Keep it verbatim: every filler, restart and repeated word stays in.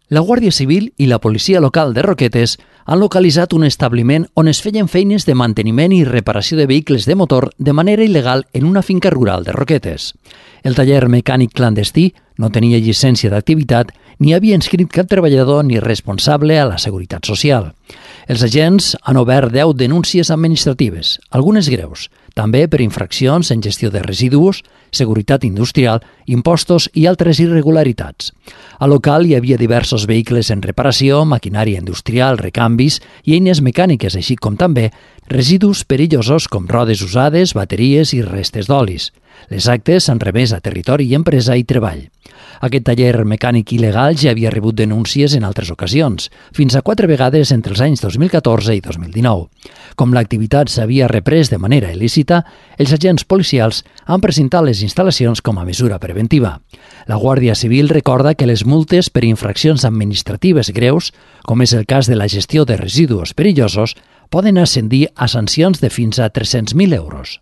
La Guàrdia Civil i la policia local de Roquetes han localitzat un establiment on es feien feines de manteniment i reparació de vehicles de motor de manera il·legal en una finca rural de Roquetes. El taller mecànic clandestí no tenia llicència d'activitat ni havia inscrit cap treballador ni responsable a la Seguretat Social. Els agents han obert deu denúncies administratives, algunes greus, també per infraccions en gestió de residus, seguretat industrial, impostos i altres irregularitats. Al local hi havia diversos vehicles en reparació, maquinària industrial, recanvis i eines mecàniques, així com també residus perillosos com rodes usades, bateries i restes d'olis. Les actes s'han remès a Territori i Empresa i Treball. Aquest taller mecànic il·legal ja havia rebut denúncies en altres ocasions, fins a quatre vegades entre els anys dos mil catorze i dos mil dinou. Com l'activitat s'havia reprès de manera il·lícita, els agents policials han presentat les instal·lacions com a mesura preventiva. La Guàrdia Civil recorda que les multes per infraccions administratives greus, com és el cas de la gestió de residus perillosos, poden ascendir a sancions de fins a tres-cents mil euros.